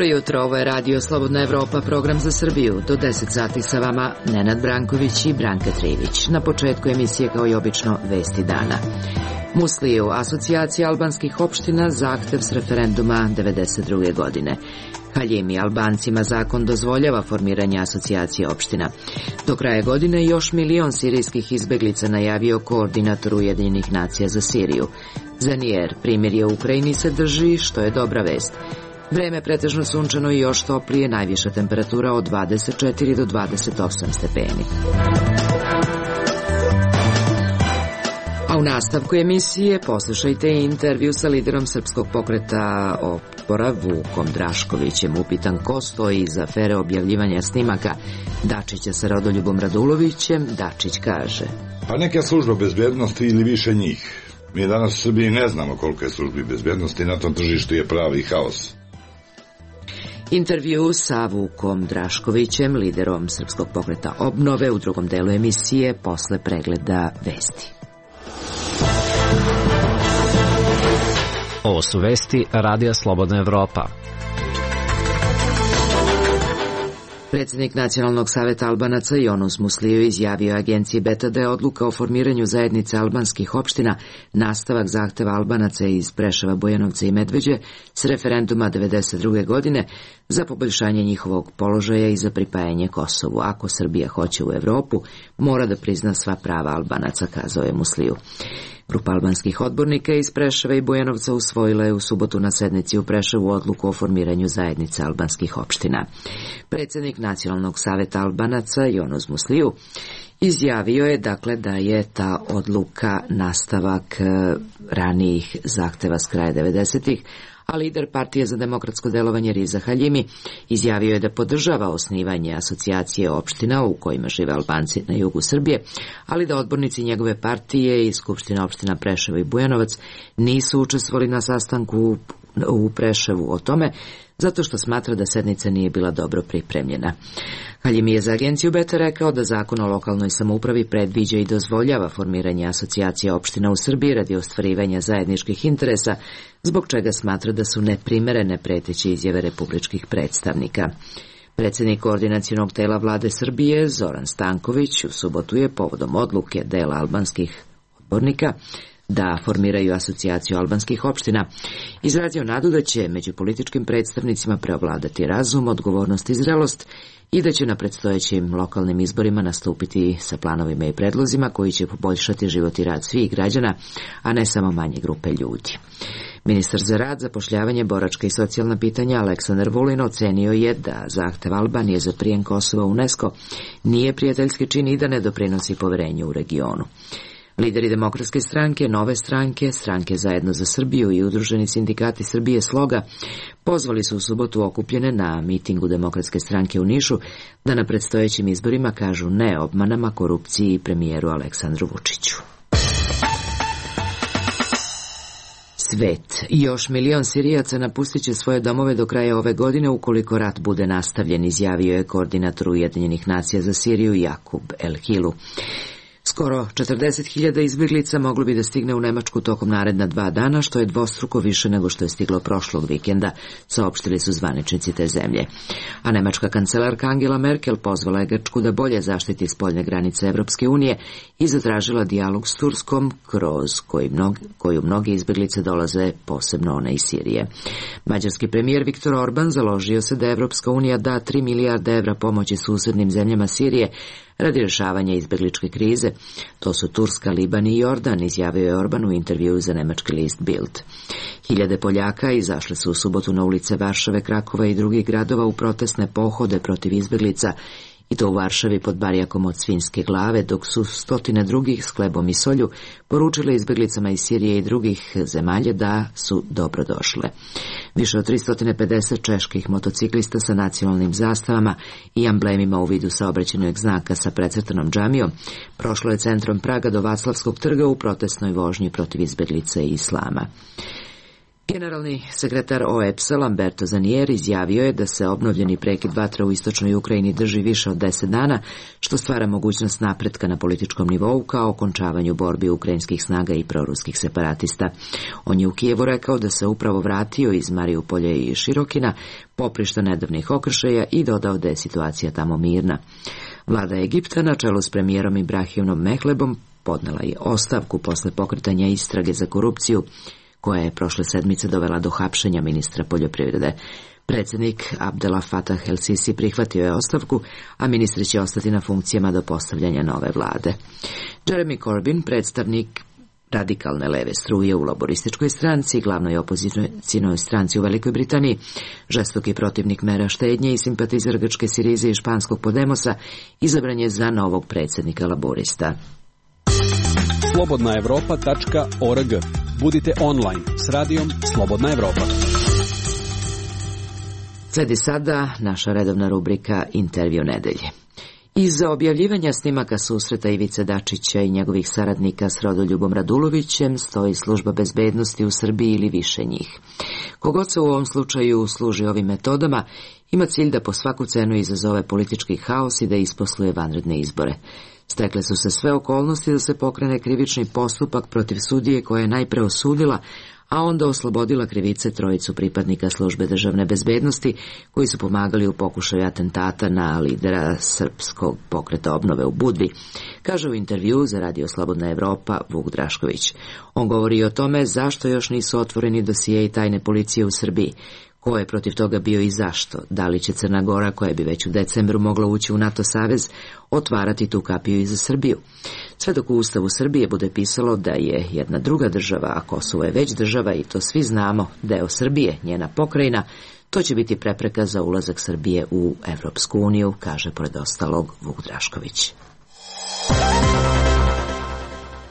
Dobro jutro, ovo je Radio Slobodna Evropa, program za Srbiju. Do 10 sati sa vama Nenad Branković i Branka Trivić. Na početku emisije, kao i obično, vesti dana. Musliju, asocijacija albanskih opština, zahtev s referenduma 1992. godine. Haljimi, Albancima zakon dozvoljava formiranje asocijacije opština. Do kraja godine još 1 milion sirijskih izbeglica najavio koordinator Ujedinjenih nacija za Siriju. Zanijer, primirje u Ukrajini se drži, što je dobra vest. Vreme pretežno sunčano i još toplije, najviša temperatura od 24 do 28 stepeni. A u nastavku emisije poslušajte intervju sa liderom Srpskog pokreta Otpora Vukom Draškovićem. Upitan ko stoji iza afere objavljivanja snimaka Dačića sa Rodoljubom Radulovićem, Dačić kaže: Pa neke službe bezbednosti ili više njih. Mi danas u Srbiji ne znamo koliko je službi bezbednosti, na tom tržištu je pravi haos. Intervju sa Vukom Draškovićem, liderom Srpskog pokreta Obnove, u drugom delu emisije posle pregleda vesti. Ovo su vesti Radija Slobodna Evropa. Predsjednik Nacionalnog saveta Albanaca Jonus Musliju izjavio agenciji Beta da je odluka o formiranju zajednice albanskih opština nastavak zahteva Albanaca iz Preševa, Bujanovca i Medveđe s referenduma 1992. godine za poboljšanje njihovog položaja i za pripajanje Kosovu. Ako Srbija hoće u Evropu, mora da prizna sva prava Albanaca, kazao je Musliju. Grupa albanskih odbornika iz Preševa i Bujanovca usvojila je u subotu na sednici u Preševu odluku o formiranju zajednice albanskih opština. Predsjednik Nacionalnog saveta Albanaca Jonus Musliju izjavio je dakle da je ta odluka nastavak ranijih zahteva s kraja 90-ih, a lider Partije za demokratsko delovanje Riza Haljimi izjavio je da podržava osnivanje asocijacije opština u kojima žive Albanci na jugu Srbije, ali da odbornici njegove partije i Skupština opština Preševo i Bujanovac nisu učestvovali na sastanku u Preševu o tome, zato što smatra da sednica nije bila dobro pripremljena. Haljimi je za agenciju Beta rekao da zakon o lokalnoj samoupravi predviđa i dozvoljava formiranje asocijacije opština u Srbiji radi ostvarivanja zajedničkih interesa, zbog čega smatra da su neprimerene preteće izjave republičkih predstavnika. Predsjednik koordinacionog tela vlade Srbije Zoran Stanković u subotu je povodom odluke dela albanskih odbornika da formiraju asocijaciju albanskih opština izrazio nadu da će među političkim predstavnicima preovladati razum, odgovornost i zrelost i da će na predstojećim lokalnim izborima nastupiti sa planovima i predlozima koji će poboljšati život i rad svih građana, a ne samo manje grupe ljudi. Ministar za rad, zapošljavanje, boračka i socijalna pitanja Aleksandar Vulin ocenio je da zahtev Albanije za prijem Kosova u UNESCO nije prijateljski čin i da ne doprinosi poverenju u regionu. Lideri Demokratske stranke, Nove stranke, Stranke Zajedno za Srbiju i Udruženi sindikati Srbije Sloga pozvali su u subotu okupljene na mitingu Demokratske stranke u Nišu da na predstojećim izborima kažu ne obmanama, korupciji i premijeru Aleksandru Vučiću. Svet. Još 1 milion Sirijaca napustit će svoje domove do kraja ove godine ukoliko rat bude nastavljen, izjavio je koordinator Ujedinjenih nacija za Siriju Jakub El Hilu. Skoro 40.000 izbjeglica moglo bi da stigne u Nemačku tokom naredna 2 dana, što je dvostruko više nego što je stiglo prošlog vikenda, saopštili su zvaničnici te zemlje. A nemačka kancelarka Angela Merkel pozvala je Grčku da bolje zaštiti spoljne granice Evropske unije i zatražila dijalog s Turskom, kroz koju mnogi izbjeglice dolaze, posebno one iz Sirije. Mađarski premijer Viktor Orban založio se da Evropska unija da 3 milijarde evra pomoći susjednim zemljama Sirije radi rješavanja izbjegličke krize. To su Turska, Liban i Jordan, izjavio je Orban u intervjuu za nemački list Bild. Hiljade Poljaka izašle su u subotu na ulice Varšave, Krakova i drugih gradova u protestne pohode protiv izbjeglica, i to u Varšavi pod barjakom od svinjske glave, dok su stotine drugih s hlebom i solju poručile izbjeglicama iz Sirije i drugih zemalja da su dobrodošle. Više od 350 čeških motociklista sa nacionalnim zastavama i amblemima u vidu saobraćajnog znaka sa precrtanom džamijom prošlo je centrom Praga do Vaclavskog trga u protestnoj vožnji protiv izbjeglica i islama. Generalni sekretar OEBS-a Lamberto Zanier izjavio je da se obnovljeni prekid vatra u istočnoj Ukrajini drži više od 10 dana, što stvara mogućnost napretka na političkom nivou kao okončavanju borbi ukrajinskih snaga i proruskih separatista. On je u Kijevu rekao da se upravo vratio iz Mariupolja i Širokina, poprišta nedavnih okršaja, i dodao da je situacija tamo mirna. Vlada Egipta na čelu s premijerom Ibrahimom Mehlebom podnela je ostavku posle pokretanja istrage za korupciju, koja je prošle sedmice dovela do hapšenja ministra poljoprivrede. Predsjednik Abdel Fattah el-Sisi prihvatio je ostavku, a ministri će ostati na funkcijama do postavljanja nove vlade. Jeremy Corbyn, predstavnik radikalne leve struje u laborističkoj stranci, glavnoj opozicijnoj stranci u Velikoj Britaniji, žestoki protivnik mera štednje i simpatizer grčke Sirize i španskog Podemosa, izabran je za novog predsjednika laborista. slobodnaevropa.org. Budite online s radijom Slobodna Evropa. Sledi sada naša redovna rubrika Intervju nedelje. Iza objavljivanja snimaka susreta Ivice Dačića i njegovih saradnika s Rodoljubom Radulovićem stoji služba bezbednosti u Srbiji ili više njih. Kogod se u ovom slučaju služi ovim metodama, ima cilj da po svaku cenu izazove politički haos i da isposluje vanredne izbore. Stekle su se sve okolnosti da se pokrene krivični postupak protiv sudije koja je najpre osudila, a onda oslobodila krivice trojicu pripadnika službe državne bezbednosti koji su pomagali u pokušaju atentata na lidera srpskog pokreta obnove u Budvi, kaže u intervjuu za Radio Slobodna Evropa Vuk Drašković. On govori o tome zašto još nisu otvoreni dosijei tajne policije u Srbiji, ko je protiv toga bio i zašto, da li će Crna Gora, koja bi već u decembru mogla ući u NATO savez, otvarati tu kapiju i za Srbiju. Sve dok u Ustavu Srbije bude pisalo da je jedna druga država, a Kosovo je već država i to svi znamo, deo Srbije, njena pokrajina, to će biti prepreka za ulazak Srbije u Evropsku uniju, kaže pored ostalog Vuk Drašković.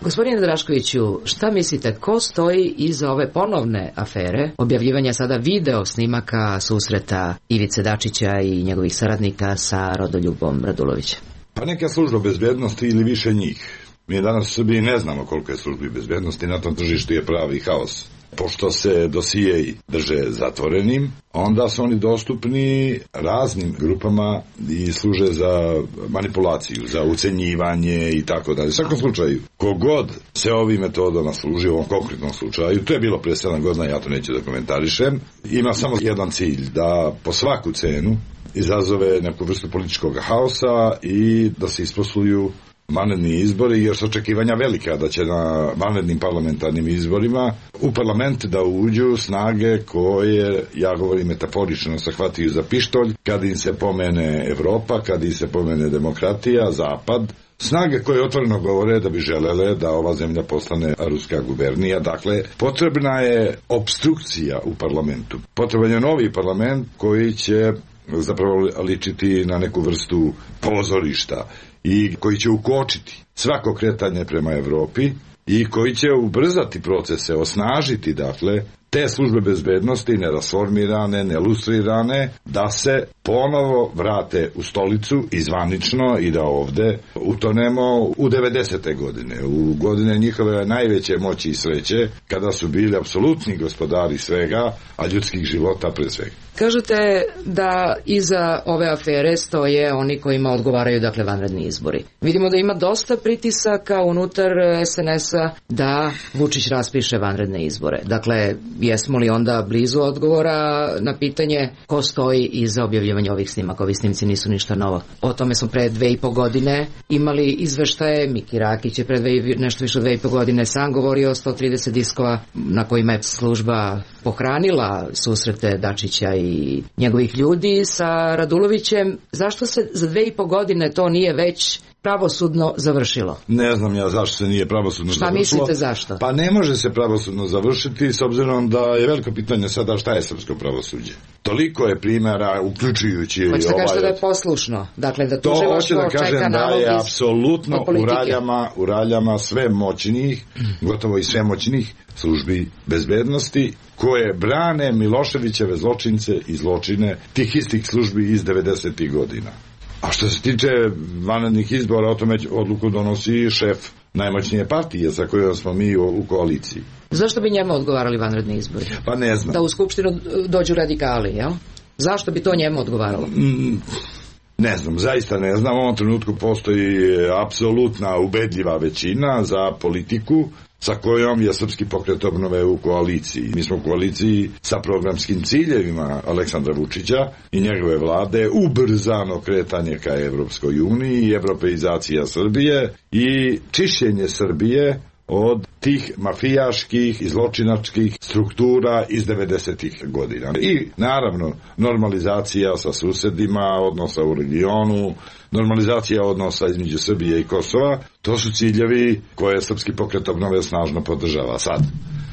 Gospodine Draškoviću, šta mislite, ko stoji iza ove ponovne afere, objavljivanja sada video snimaka susreta Ivice Dačića i njegovih saradnika sa Rodoljubom Radulovićem? Pa neka služba bezbednosti ili više njih. Mi danas u Srbiji ne znamo koliko je službi bezbednosti, na tom tržištu je pravi haos. Pošto se dosijeji drže zatvorenim, onda su oni dostupni raznim grupama i služe za manipulaciju, za ucenjivanje i tako dalje. U svakom slučaju, kogod se ovim metodama služi, u ovom konkretnom slučaju, to je bilo pre 7 godina, ja to neću da komentarišem, ima samo jedan cilj, da po svaku cenu izazove neku vrstu političkog haosa i da se isposluju vanredni izbori, jer su očekivanja velika da će na vanrednim parlamentarnim izborima u parlament da uđu snage koje, ja govorim metaforično, se hvataju za pištolj kad im se pomene Evropa, kad im se pomene demokratija, Zapad, snage koje otvoreno govore da bi želele da ova zemlja postane ruska gubernija. Dakle, potrebna je opstrukcija u parlamentu. Potreban je novi parlament koji će zapravo ličiti na neku vrstu pozorišta i koji će ukočiti svako kretanje prema Evropi i koji će ubrzati procese, osnažiti, dakle, te službe bezbednosti nerasformirane, nelustrirane, da se ponovo vrate u stolicu i zvanično i da ovde utonemo u 90. godine, u godine njihove najveće moći i sreće, kada su bili apsolutni gospodari svega, a ljudskih života pre svega. Kažete da iza ove afere stoje oni kojima odgovaraju, dakle, vanredni izbori. Vidimo da ima dosta pritisaka unutar SNS-a da Vučić raspiše vanredne izbore. Dakle, jesmo li onda blizu odgovora na pitanje ko stoji iza objavljivanja ovih snimaka? Ovi snimci nisu ništa novo. O tome smo pre 2,5 godine imali izveštaje. Miki Rakić je pre nešto više od 2,5 godine sam govorio o 130 diskova na kojima je služba pohranila susrete Dačića i njegovih ljudi sa Radulovićem. Zašto se za 2,5 godine to nije već pravosudno završilo? Ne znam ja zašto se nije pravosudno završilo. Šta mislite zašto? Pa ne može se pravosudno završiti s obzirom da je veliko pitanje sada šta je srpsko pravosuđe. Toliko je primjera, uključujući i hoćete kažete da je poslušno? Dakle, da tužilaštvo čeka nalog iz politike? To hoće da kažem da je apsolutno u raljama sve moćnih, gotovo i sve moćnih službi bezbednosti koje brane Miloševićeve zločince i zločine tih istih službi iz 90. godina. A što se tiče vanrednih izbora, o tome odluku donosi šef najmoćnije partije sa kojom smo mi u koaliciji. Zašto bi njemu odgovarali vanredni izbori? Pa ne znam. Da u Skupštinu dođu radikali, jel? Zašto bi to njemu odgovaralo? Ne znam, zaista ne znam. U ovom trenutku postoji apsolutna ubedljiva većina za politiku sa kojom je Srpski pokret obnove u koaliciji. Mi smo u koaliciji sa programskim ciljevima Aleksandra Vučića i njegove vlade, ubrzano kretanje ka Evropskoj uniji, evropeizacija Srbije i čišćenje Srbije od tih mafijaških i zločinačkih struktura iz 90-ih godina. I naravno normalizacija sa susedima, odnosa u regionu, normalizacija odnosa između Srbije i Kosova, to su ciljevi koje Srpski pokret obnove snažno podržava. Sad,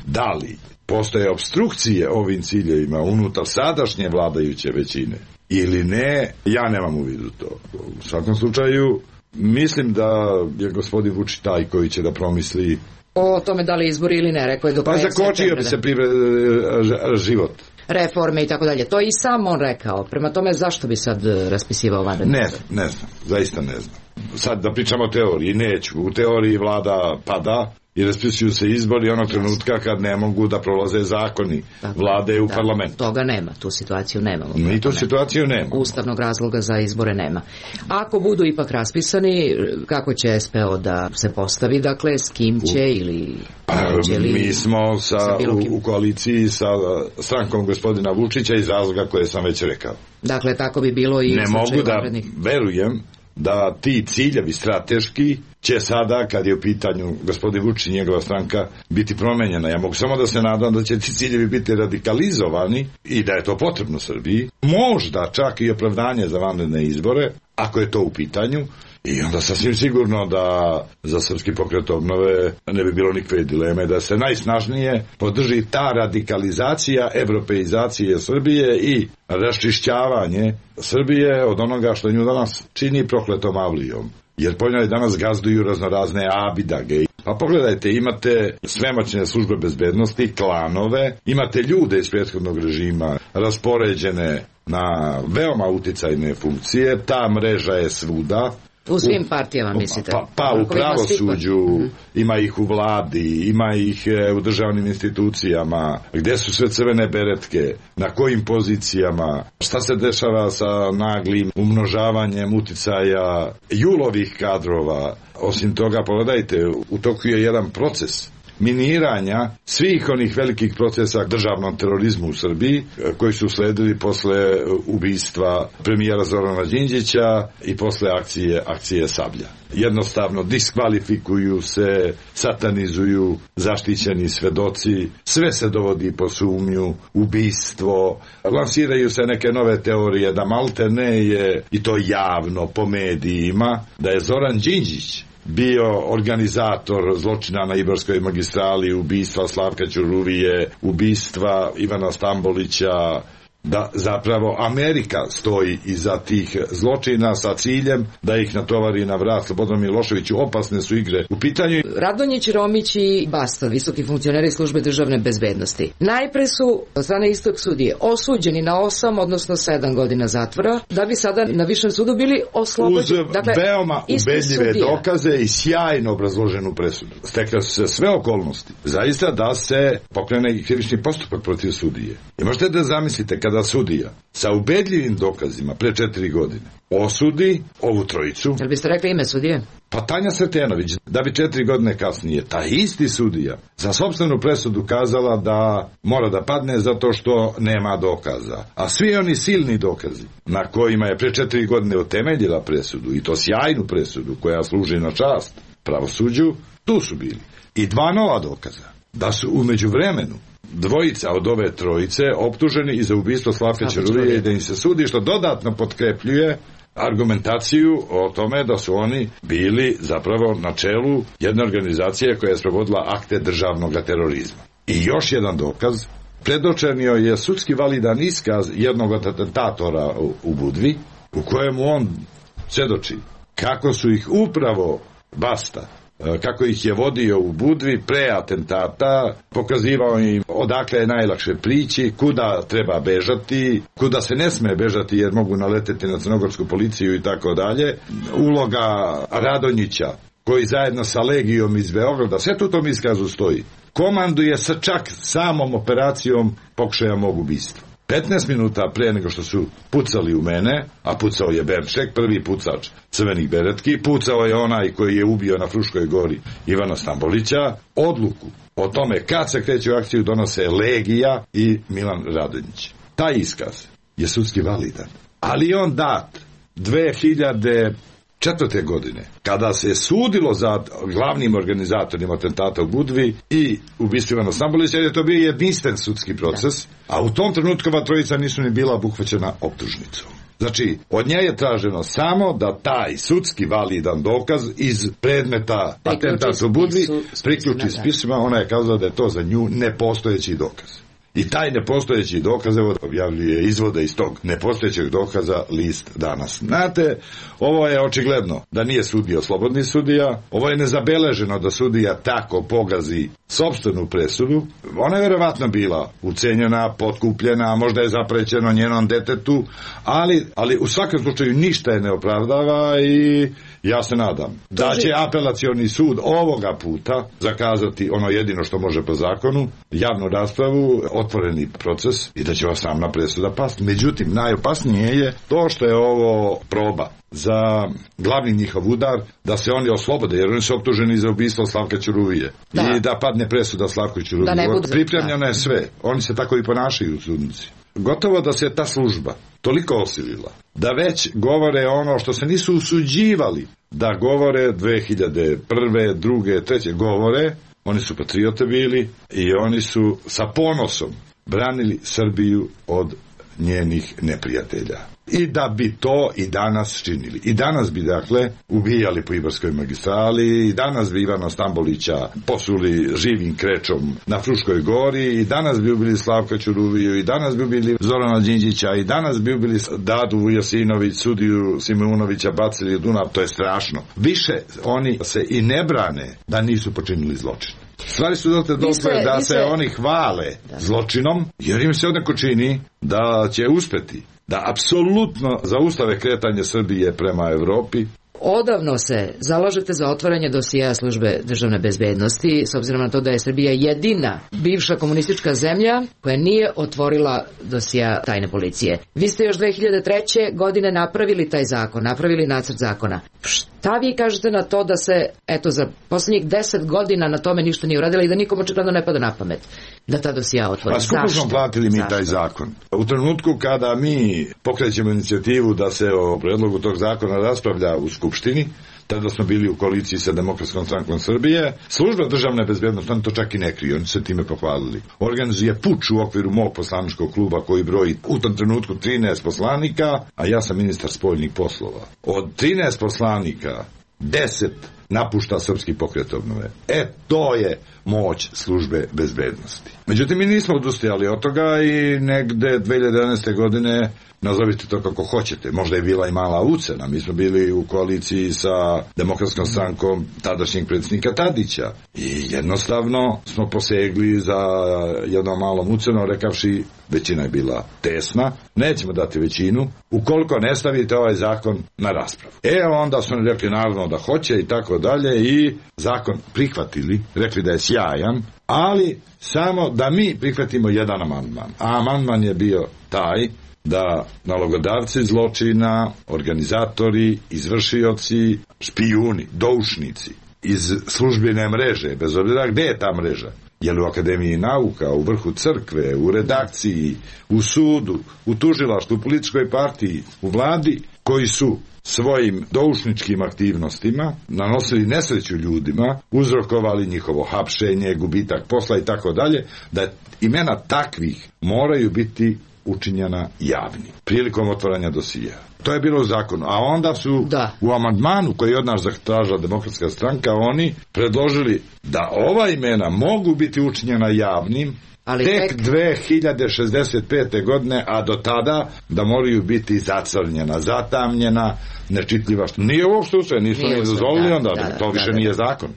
da li postoje obstrukcije ovim ciljevima unutar sadašnje vladajuće većine ili ne, ja nemam u vidu to. U svakom slučaju, mislim da je gospodin Vučić taj koji će da promisli o tome da li izbori ili ne, rekao je do kraja septembra. Pa zakočio bi se život. Reforme i tako dalje. To je i sam on rekao. Prema tome, zašto bi sad raspisivao vanredne izbore? Ne znam, zaista ne znam. Sad da pričamo o teoriji, neću. U teoriji vlada pada i raspisuju se izbori onog trenutka kad ne mogu da prolaze zakoni vlade u parlamentu. Toga nema, tu situaciju nemamo. Mi tu situaciju nema. Ustavnog razloga za izbore nema. Ako budu ipak raspisani, kako će SPO da se postavi, dakle, s kim će ili... Mi smo u koaliciji sa strankom gospodina Vučića iz razloga koje sam već rekao. Dakle, tako bi bilo i... Ne mogu da verujem da ti ciljevi strateški će sada, kad je u pitanju gospodin Vučić i njegova stranka, biti promenjena. Ja mogu samo da se nadam da će ti ciljevi biti radikalizovani i da je to potrebno Srbiji. Možda čak i opravdanje za vanredne izbore, ako je to u pitanju. I onda sasvim sigurno da za Srpski pokret obnove ne bi bilo nikakve dileme da se najsnažnije podrži ta radikalizacija evropeizacije Srbije i raščišćavanje Srbije od onoga što nju danas čini prokletom avlijom. Jer po njoj danas gazduju raznorazne abidage. Pa pogledajte, imate svemoćne službe bezbednosti, klanove, imate ljude iz prethodnog režima raspoređene na veoma uticajne funkcije, ta mreža je svuda. U svim partijama, mislite? Pa u pravosuđu, ima ih u vladi, ima ih u državnim institucijama, gde su sve crvene beretke, na kojim pozicijama, šta se dešava sa naglim umnožavanjem uticaja julovih kadrova. Osim toga, pogledajte, u toku je jedan proces miniranja svih onih velikih procesa državnom terorizmu u Srbiji koji su sledili posle ubistva premijera Zorana Đinđića i posle akcije Sablja. Jednostavno diskvalifikuju se, satanizuju zaštićeni svedoci, sve se dovodi po sumnju, ubistvo, lansiraju se neke nove teorije da maltene je, i to javno po medijima, da je Zoran Đinđić bio organizator zločina na Ibarskoj magistrali, ubistva Slavka Ćuruvije, ubistva Ivana Stambolića, da zapravo Amerika stoji iza tih zločina sa ciljem da ih natovari na vrat Slobodanu Miloševiću. Opasne su igre u pitanju. Radonjić, Romić i Bastov, visoki funkcioneri službe državne bezbednosti, najpre su od strane istog sudije osuđeni na 8, odnosno 7 godina zatvora, da bi sada na višem sudu bili oslobođeni. Uz veoma ubedljive dokaze i sjajno obrazloženu presudu. Stekle su se sve okolnosti zaista da se pokrene krivični postupak protiv sudije. I možete da zamislite kada sudija sa ubedljivim dokazima pre 4 godine osudi ovu trojicu. Jel biste rekli ime sudije? Pa Tanja Sretenović, da bi 4 godine kasnije taj isti sudija za sopstvenu presudu kazala da mora da padne zato što nema dokaza. A svi oni silni dokazi na kojima je pre 4 godine utemeljila presudu, i to sjajnu presudu koja služi na čast pravosuđu, tu su bili. I 2 nova dokaza da su u međuvremenu dvojica od ove trojice optuženi i za ubistvo Slavka Ćuruvije i da im se sudi, što dodatno potkrepljuje argumentaciju o tome da su oni bili zapravo na čelu jedne organizacije koja je sprovodila akte državnog terorizma. I još jedan dokaz, predočenio je sudski validan iskaz jednog od atentatora u Budvi, u kojemu on svedoči kako su ih upravo Basta, kako ih je vodio u Budvi pre atentata, pokazivao im odakle je najlakše prići, kuda treba bežati, kuda se ne sme bežati jer mogu naleteti na crnogorsku policiju i tako dalje. Uloga Radonjića, koji zajedno sa Legijom iz Beograda, sve tu tom iskazu stoji. komanduje sa čak samom operacijom pokušaja mog ubistva. 15 minuta pre nego što su pucali u mene, a pucao je Berček, prvi pucač crvenih beretki, pucao je onaj koji je ubio na Fruškoj gori Ivana Stambolića, odluku o tome kad se kreće u akciju donose Legija i Milan Radonjić. Taj iskaz je sudski validan, ali on dat 2004. godine, kada se sudilo za glavnim organizatorima atentata u Budvi i ubistva Ivana Stambolića, je to bio jedinstven sudski proces, a u tom trenutku ova trojica nisu ni bila obuhvaćena optužnicom. Znači, od nje je traženo samo da taj sudski validan dokaz iz predmeta atentata u Budvi priključi spisima. Ona je kazala da je to za nju nepostojeći dokaz. I taj nepostojeći dokaz, evo, objavljuje izvode iz tog nepostojećeg dokaza list Danas. Znate, ovo je očigledno da nije sudio slobodni sudija, ovo je nezabeleženo da sudija tako pogazi sopstvenu presudu. Ona je verovatno bila ucenjena, potkupljena, možda je zaprećeno njenom detetu, ali u svakom slučaju ništa je ne opravdava i ja se nadam da će apelacioni sud ovoga puta zakazati ono jedino što može po zakonu, javnu raspravu, otvoreni proces i da će ova sramna presuda pasti. Međutim, najopasnije je to što je ovo proba za glavni njihov udar, da se oni oslobode, jer oni su optuženi za ubistvo Slavka Ćuruvije. I da padne presuda Slavku Ćuruvije. Pripremljeno je sve. Oni se tako i ponašaju u sudnici. Gotovo da se ta služba toliko osilila da već govore ono što se nisu usuđivali da govore 2001., 2., 3. govore. Oni su patriote bili i oni su sa ponosom branili Srbiju od njenih neprijatelja. I da bi to i danas činili. I danas bi, dakle, ubijali po Ibarskoj magistrali, i danas bi Ivana Stambolića posuli živim krečom na Fruškoj gori, i danas bi ubili Slavka Ćuruviju, i danas bi ubili Zorana Đinđića, i danas bi ubili Dadu Vujasinović, sudiju Simeunovića, bacili u Dunav. To je strašno. Više oni se i ne brane da nisu počinili zločin. Stvari su dotle da se oni hvale zločinom, jer im se odnako čini da će uspeti da apsolutno zaustave kretanje Srbije prema Evropi. Odavno se zalažete za otvaranje dosija službe državne bezbednosti, s obzirom na to da je Srbija jedina bivša komunistička zemlja koja nije otvorila dosija tajne policije. Vi ste još 2003. godine napravili taj zakon, napravili nacrt zakona. Šta vi kažete na to da se, eto, za posljednjih 10 godina na tome ništa nije uradila i da nikom očigledno ne pada na pamet da ta dosija otvori? Pa skupo smo platili mi taj zakon. U trenutku kada mi pokrećemo inicijativu da se o predlogu tog zakona raspravlja u Skupštini, tada smo bili u koaliciji sa Demokratskom strankom Srbije, služba državne bezbednosti, oni to čak i ne kriju, oni se time pohvalili. Organizuje puč u okviru mog poslaničkog kluba koji broji u tom trenutku 13 poslanika, a ja sam ministar spoljnih poslova. Od 13 poslanika 10 napušta Srpski pokret obnove. To je moć službe bezbednosti. Međutim, mi nismo odustajali od toga i negde 2011. godine, nazovite to kako hoćete, možda je bila i mala ucena. Mi smo bili u koaliciji sa Demokratskom strankom tadašnjeg predsjednika Tadića i jednostavno smo posegli za jednom malom ucenom, rekavši većina je bila tesna, nećemo dati većinu ukoliko ne stavite ovaj zakon na raspravu. Onda su oni rekli naravno da hoće i tako dalje i zakon prihvatili, rekli da je sjajan, ali samo da mi prihvatimo jedan amandman. A amandman je bio taj da nalogodavci zločina, organizatori, izvršioci, špijuni, doušnici iz službene mreže, bez obzira gde je ta mreža, je li u Akademiji nauka, u vrhu crkve, u redakciji, u sudu, u tužilaštvu, u političkoj partiji, u vladi, koji su svojim doušničkim aktivnostima nanosili nesreću ljudima, uzrokovali njihovo hapšenje, gubitak posla i tako dalje, da imena takvih moraju biti učinjena javni prilikom otvaranja dosija. To je bilo u zakonu. A onda su u amandmanu koji od nas zatražila Demokratska stranka oni predložili da ova imena mogu biti učinjena javnim tek 2065. godine, a do tada da moraju biti zacrnjena, zatamnjena, nečitljiva. Nije uopšte usvoje, nisu ne dozvolili, onda to više nije zakon.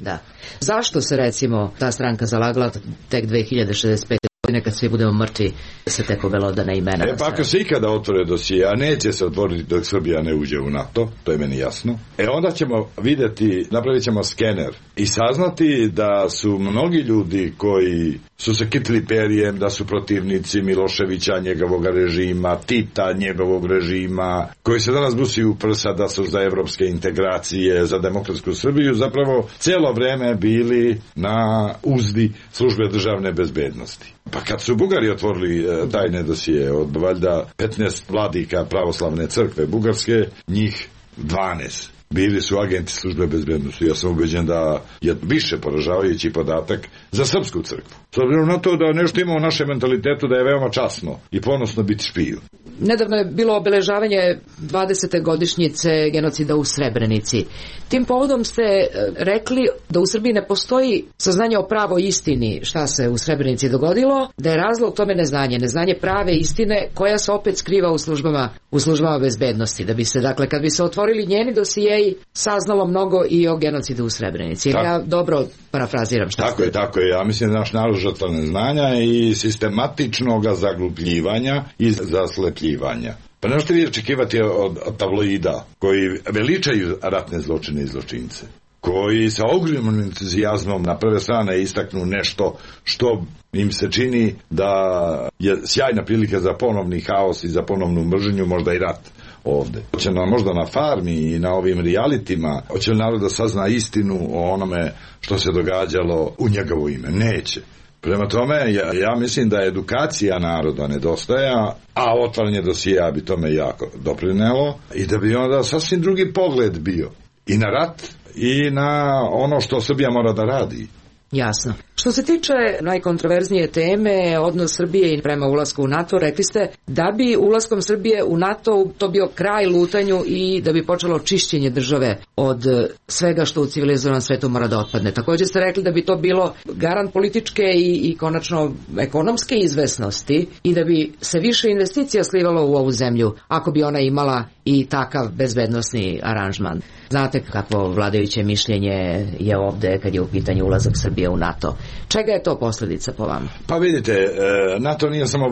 Zašto se recimo ta stranka zalagala tek 2065. Nekad svi budemo mrtvi, se tek obelodane imena. Pa ako se ikada otvore dosije, a neće se otvoriti dok Srbija ne uđe u NATO, to je meni jasno, onda ćemo vidjeti, napravit ćemo skener i saznati da su mnogi ljudi koji su se kitili perijem, da su protivnici Miloševića, njegovog režima, Tita, njegovog režima, koji se danas busi u prsa da su za evropske integracije, za demokratsku Srbiju, zapravo cijelo vreme bili na uzdi službe državne bezbednosti. Pa kad su Bugari otvorili tajne dosije od valjda 15 vladika pravoslavne crkve Bugarske, njih 12 bili su agenti službe bezbednosti. Ja sam ubeđen da je više poražavajući podatak za srpsku crkvu. S obzirom na to da nešto ima u našem mentalitetu da je veoma časno i ponosno biti špijun. Nedavno je bilo obeležavanje 20. godišnjice genocida u Srebrenici. Tim povodom ste rekli da u Srbiji ne postoji saznanje o pravoj istini šta se u Srebrenici dogodilo, da je razlog tome neznanje prave istine koja se opet skriva u službama bezbednosti. Da bi se, dakle, kad bi se otvorili njeni dosijeji, saznalo mnogo i o genocidu u Srebrenici. Ja dobro parafraziram šta ste. Tako je. Ja mislim da naš narod žrtva neznanja i sistematičnog zaglupljivanja i zaslepljivanja. Pa ne možete vi očekivati od tabloida koji veličaju ratne zločine i zločince, koji sa ogromnim entuzijazmom na prve strane istaknu nešto što im se čini da je sjajna prilika za ponovni haos i za ponovnu mržnju, možda i rat ovde. Hoće nam možda na farmi i na ovim realitima, hoće li narod da sazna istinu o onome što se događalo u njegovo ime? Neće. Prema tome, ja mislim da edukacija naroda nedostaja, a otvaranje dosija bi tome jako doprinelo i da bi onda sasvim drugi pogled bio i na rat i na ono što Srbija mora da radi. Jasno. Što se tiče najkontroverznije teme, odnos Srbije prema ulasku u NATO, rekli ste da bi ulaskom Srbije u NATO to bio kraj lutanju i da bi počelo čišćenje države od svega što u civilizovanom svetu mora da otpadne. Također ste rekli da bi to bilo garant političke i konačno ekonomske izvesnosti i da bi se više investicija slivalo u ovu zemlju ako bi ona imala i takav bezbednosni aranžman. Znate kakvo vladajuće mišljenje je ovde kad je u pitanju ulazak Srbije u NATO. Čega je to posljedica po vama? Pa vidite, NATO nije samo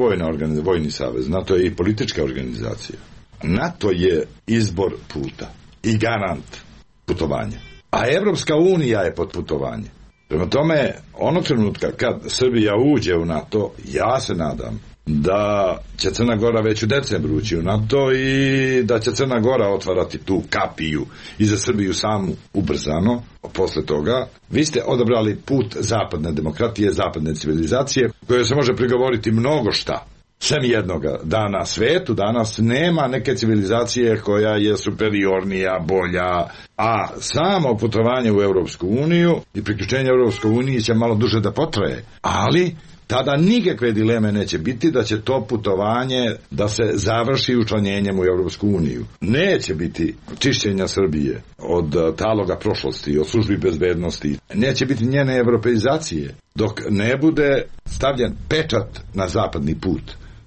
vojni savez, NATO je i politička organizacija. NATO je izbor puta i garant putovanja. A Evropska unija je pod putovanje. Prema tome, onog trenutka kad Srbija uđe u NATO, ja se nadam da će Crna Gora već u decembru ući u NATO i da će Crna Gora otvarati tu kapiju i za Srbiju samu ubrzano. Posle toga, vi ste odabrali put zapadne demokratije, zapadne civilizacije, koje se može prigovoriti mnogo šta. Sem jednoga, da na svetu danas nema neke civilizacije koja je superiornija, bolja, a samo putovanje u Evropsku uniju i priključenje Evropskoj uniji će malo duže da potraje, ali tada nikakve dileme neće biti da će to putovanje da se završi učlanjenjem u Evropsku uniju. Neće biti čišćenja Srbije od taloga prošlosti, od službi bezbednosti. Neće biti njene evropeizacije dok ne bude stavljen pečat na zapadni put.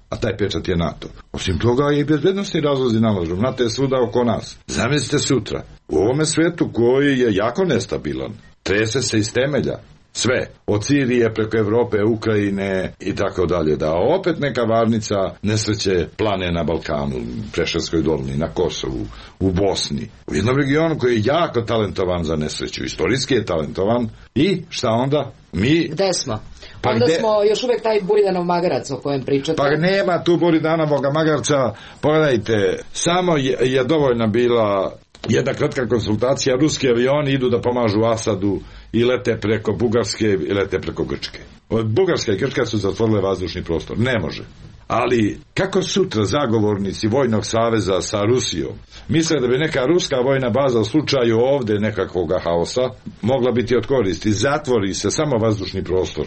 A taj pečat je NATO. Osim toga i bezbednostni razlozi nalažu. NATO je svuda oko nas. Zamislite sutra, u ovome svetu koji je jako nestabilan, trese se iz temelja, sve, od Sirije preko Evrope, Ukrajine i tako dalje, da opet neka varnica nesreće plane na Balkanu, Preševskoj dolini, na Kosovu, u Bosni, u jednom regionu koji je jako talentovan za nesreću, istorijski je talentovan i šta onda? Mi... Gde smo? Onda smo još uvek taj Buridanov magarac o kojem pričate. Pa nema tu Buridanovog magarca, pogledajte, samo je dovoljna bila jedna kratka konsultacija, ruski avioni idu da pomažu Asadu i lete preko Bugarske i lete preko Grčke. Od Bugarska i Grčka su zatvorile vazdušni prostor. Ne može. Ali kako sutra zagovornici Vojnog saveza sa Rusijom misle da bi neka ruska vojna baza u slučaju ovde nekakvog haosa mogla biti od koristi, zatvori se samo vazdušni prostor.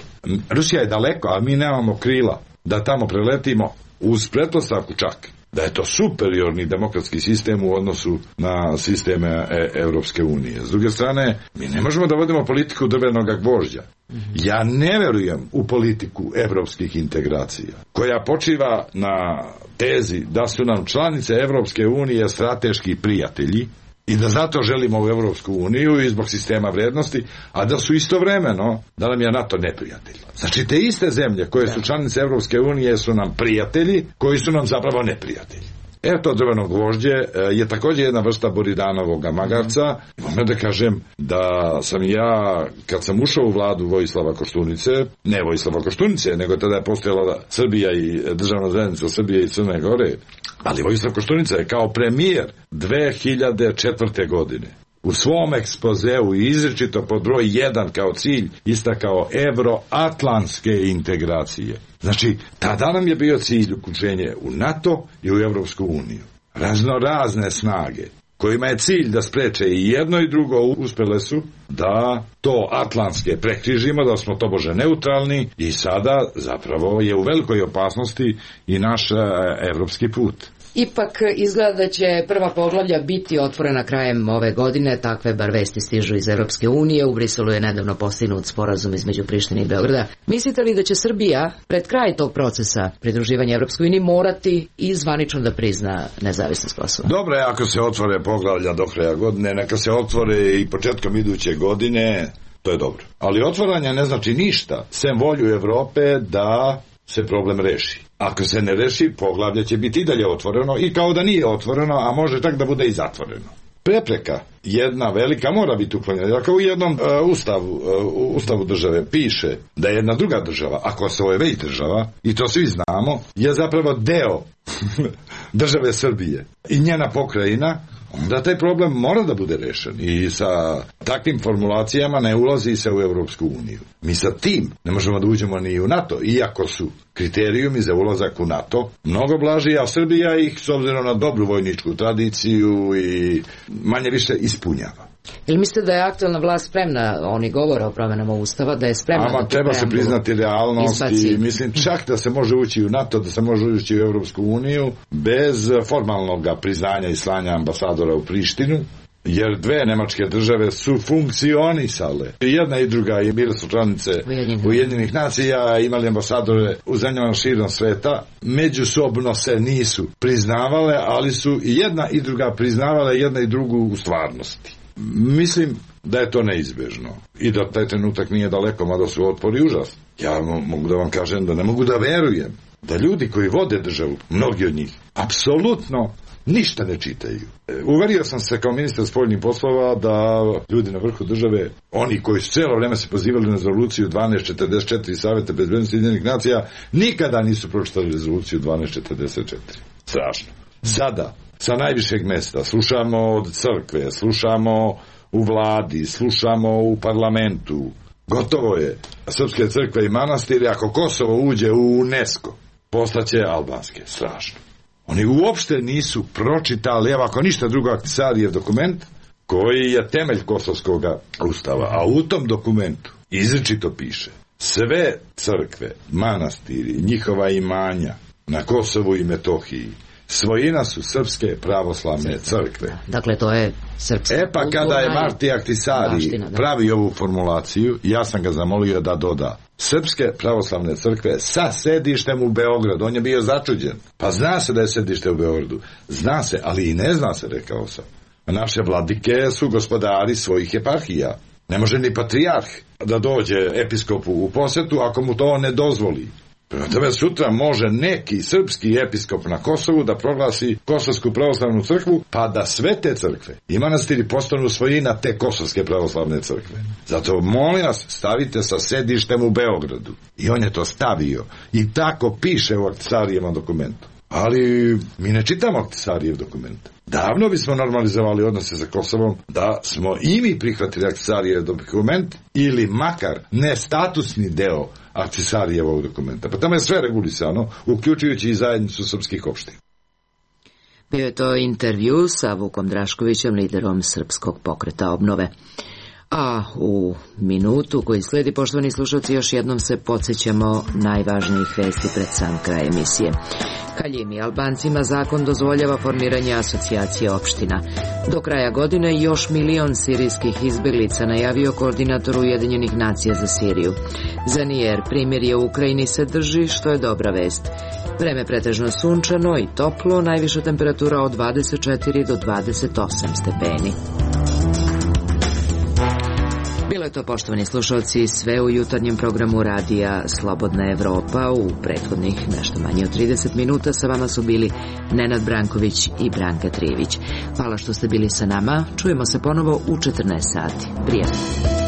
Rusija je daleko, a mi nemamo krila da tamo preletimo, uz pretpostavku čak da je to superiorni demokratski sistem u odnosu na sisteme Evropske unije. S druge strane, mi ne možemo da vodimo politiku drvenog gvožđa. Ja ne verujem u politiku evropskih integracija, koja počiva na tezi da su nam članice Evropske unije strateški prijatelji i da zato želimo u Evropsku uniju i zbog sistema vrednosti, a da su istovremeno, da nam je NATO neprijatelj. Znači, te iste zemlje koje su članice Evropske unije su nam prijatelji, koji su nam zapravo neprijatelji. To drveno gvožđe je također jedna vrsta boridanovog magarca. Moram da kažem da sam ja, kad sam ušao u vladu Vojislava Koštunice, ne Vojislava Koštunice, nego tada je postojala Srbija i državna zajednica Srbije i Crne Gore, ali Vojislav Koštunica je kao premijer 2004. godine u svom ekspozeu izričito pod broj 1 kao cilj istakao evroatlantske integracije. Znači, tada nam je bio cilj uključenje u NATO i u Evropsku uniju. Razne snage kojima je cilj da spreče i jedno i drugo uspjele su da to atlantske prekrižimo, da smo tobože neutralni i sada zapravo je u velikoj opasnosti i naš evropski put. Ipak izgleda da će prva poglavlja biti otvorena krajem ove godine, takve bar vesti stižu iz Evropske unije. U Briselu je nedavno postignut sporazum između Prištine i Beograda. Mislite li da će Srbija pred kraj tog procesa pridruživanja Evropskoj uniji morati i zvanično da prizna nezavisnost Kosova? Dobro je ako se otvore poglavlja do kraja godine, neka se otvore i početkom iduće godine, to je dobro. Ali otvaranje ne znači ništa, sem volju Evrope da se problem reši. Ako se ne reši, poglavlje će biti i dalje otvoreno i kao da nije otvoreno, a može čak da bude i zatvoreno. Prepreka jedna velika mora biti uklonjena. Ako u jednom ustavu države piše da je jedna druga država, a Kosovo je već država, i to svi znamo, je zapravo deo države Srbije i njena pokrajina, onda taj problem mora da bude rešen i sa takvim formulacijama ne ulazi se u Evropsku uniju. Mi sa tim ne možemo da uđemo ni u NATO, iako su kriterijumi za ulazak u NATO mnogo blaži, a Srbija ih, s obzirom na dobru vojničku tradiciju, i manje više ispunjava. Ili mislite da je aktualna vlast spremna, oni govore o promjenama Ustava, da je spremna da treba se priznati realnost i mislim čak da se može ući u NATO, da se može ući u Evropsku uniju bez formalnog priznanja i slanja ambasadora u Prištinu, jer dve nemačke države su funkcionisale. Jedna i druga i bile su članice Ujedinjenih nacija, imali ambasadore u zemljama širom sveta, međusobno se nisu priznavale, ali su i jedna i druga priznavale jedna i drugu u stvarnosti. Mislim da je to neizbežno i da taj trenutak nije daleko, mada su otpori užas. Ja mogu da vam kažem da ne mogu da verujem da ljudi koji vode državu, mnogi od njih, apsolutno ništa ne čitaju. Uverio sam se kao ministar spoljnih poslova da ljudi na vrhu države, oni koji su cijelo vrijeme se pozivali na rezoluciju 1244 Saveta bezbednosti Ujedinjenih nacija, nikada nisu pročitali rezoluciju 1244. Strašno. Sada sa najvišeg mesta slušamo od crkve, slušamo u vladi, slušamo u parlamentu. Gotovo je. Srpske crkve i manastiri, ako Kosovo uđe u UNESCO, postaće albanske. Strašno. Oni uopšte nisu pročitali, evo ako ništa drugo, Ahtisarijev dokument, koji je temelj kosovskog ustava, a u tom dokumentu izričito piše sve crkve, manastiri, njihova imanja na Kosovu i Metohiji svojina su srpske pravoslavne crkve. Dakle, to je srpska. Pa kada je Marti Ahtisari pravi ovu formulaciju, ja sam ga zamolio da doda srpske pravoslavne crkve sa sedištem u Beogradu. On je bio začuđen. Pa zna se da je sedište u Beogradu. Zna se, ali i ne zna se, rekao sam. Naše vladike su gospodari svojih eparhija. Ne može ni patrijarh da dođe episkopu u posetu ako mu to ne dozvoli. Prema tome sutra može neki srpski episkop na Kosovu da proglasi Kosovsku pravoslavnu crkvu, pa da sve te crkve i manastiri postanu svojina te Kosovske pravoslavne crkve. Zato molim vas, stavite sa sedištem u Beogradu. I on je to stavio. I tako piše u Ahtisarijevom dokumentu. Ali mi ne čitamo Ahtisarijev dokument. Davno bismo normalizovali odnose sa Kosovom da smo i mi prihvatili Ahtisarijev dokument ili makar nestatusni deo Ahtisarijevog dokumenta. Pa tamo je sve regulisano, uključujući i zajednicu srpskih opština. Bio je to intervju sa Vukom Draškovićem, liderom Srpskog pokreta obnove. A u minutu koji slijedi, poštovani slušalci, još jednom se podsjećamo najvažnijih vesti pred sam kraj emisije. Kaljimi Albancima zakon dozvoljava formiranje asocijacije opština. Do kraja godine još 1 milion sirijskih izbjeglica, najavio koordinator Ujedinjenih nacija za Siriju. Za Nijer primirje u Ukrajini se drži, što je dobra vest. Vreme pretežno sunčano i toplo, najviša temperatura od 24 do 28 stepeni. Bilo je to, poštovani slušalci, sve u jutarnjem programu radija Slobodna Evropa. U prethodnih nešto manje od 30 minuta sa vama su bili Nenad Branković i Branka Trijević. Hvala što ste bili sa nama. Čujemo se ponovo u 14 sati. Prijatno.